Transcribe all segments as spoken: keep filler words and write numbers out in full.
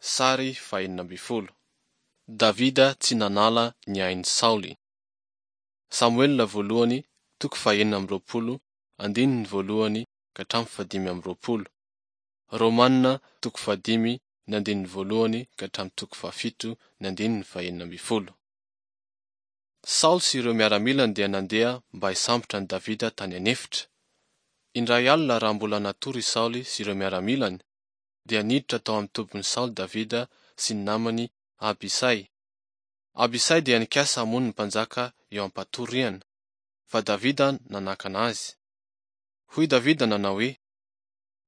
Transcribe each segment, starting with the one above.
Sary fahenina ambin'ny folo. Davida tsy nanala ny ain'i Saoly. Samoela voalohany toko fahenina amby roapolo andininy voalohany ka hatramin'ny fahadimy amby roapolo. Romana toko fahadimy ny andininy voalohany ka hatramin'ny toko fahafito ny andininy fahenina ambin'ny folo. Saoly sy ireo miaramilany dia nandeha mba hisambotra an'i Davida tany an'efitra. Indray alina raha mbola natory i Saoly sy ireo miaramilany, dia niditra tao amin'ny tobin'i Saoly Davida sy ny namany Abisay. Abisay dia nikasa hamono ny mpanjaka eo am-patoriana, fa Davida nanakana azy. Hoy Davida nanao hoe,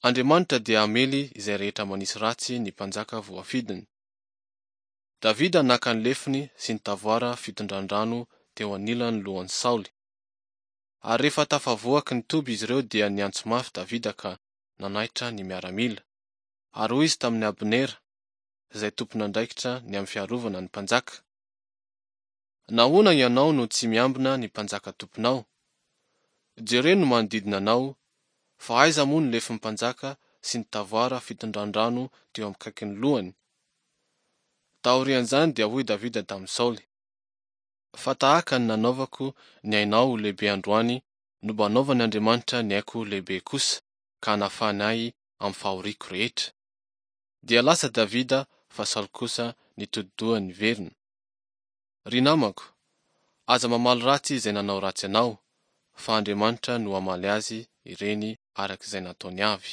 Andriamanitra dia hamely izay rehetra manisy ratsy ny mpanjaka voafidiny. Davida naka ny lefony sy ny tavoara fitondran-drano teo anilan'ny lohan'i Saoly. Ary rehefa tafavoaky ny toby izy ireo dia niantso mafy Davida ka nanaitra ny miaramila. Ary hoy izy tamin'i Abnera, izay tompon'andraikitra ny amin'ny fiarovana ny mpanjaka, Nahoana ianao no tsy miambina ny mpanjaka tomponao? Jereo ny manodidina anao, fa aiza moa ny lefon'ny mpanjaka sy ny tavoara fitondran-drano teo akaikin'ny lohany? Taorian'izany dia hoy Davida tamin'i Saoly, Fa tahaka ny nanaovako ny ainao ho lehibe androany no mba hanaovan' Andriamanitra ny aiko ho lehibe kosa ka hanafahany ahy amin'ny fahoriako rehetra. Dia lasa Davida fa Saoly kosa nitodi-doha niverina. Ry namako, aza mamaly ratsy izay nanao ratsy anao, fa Andriamanitra no hamaly azy ireny araka izay nataony avy.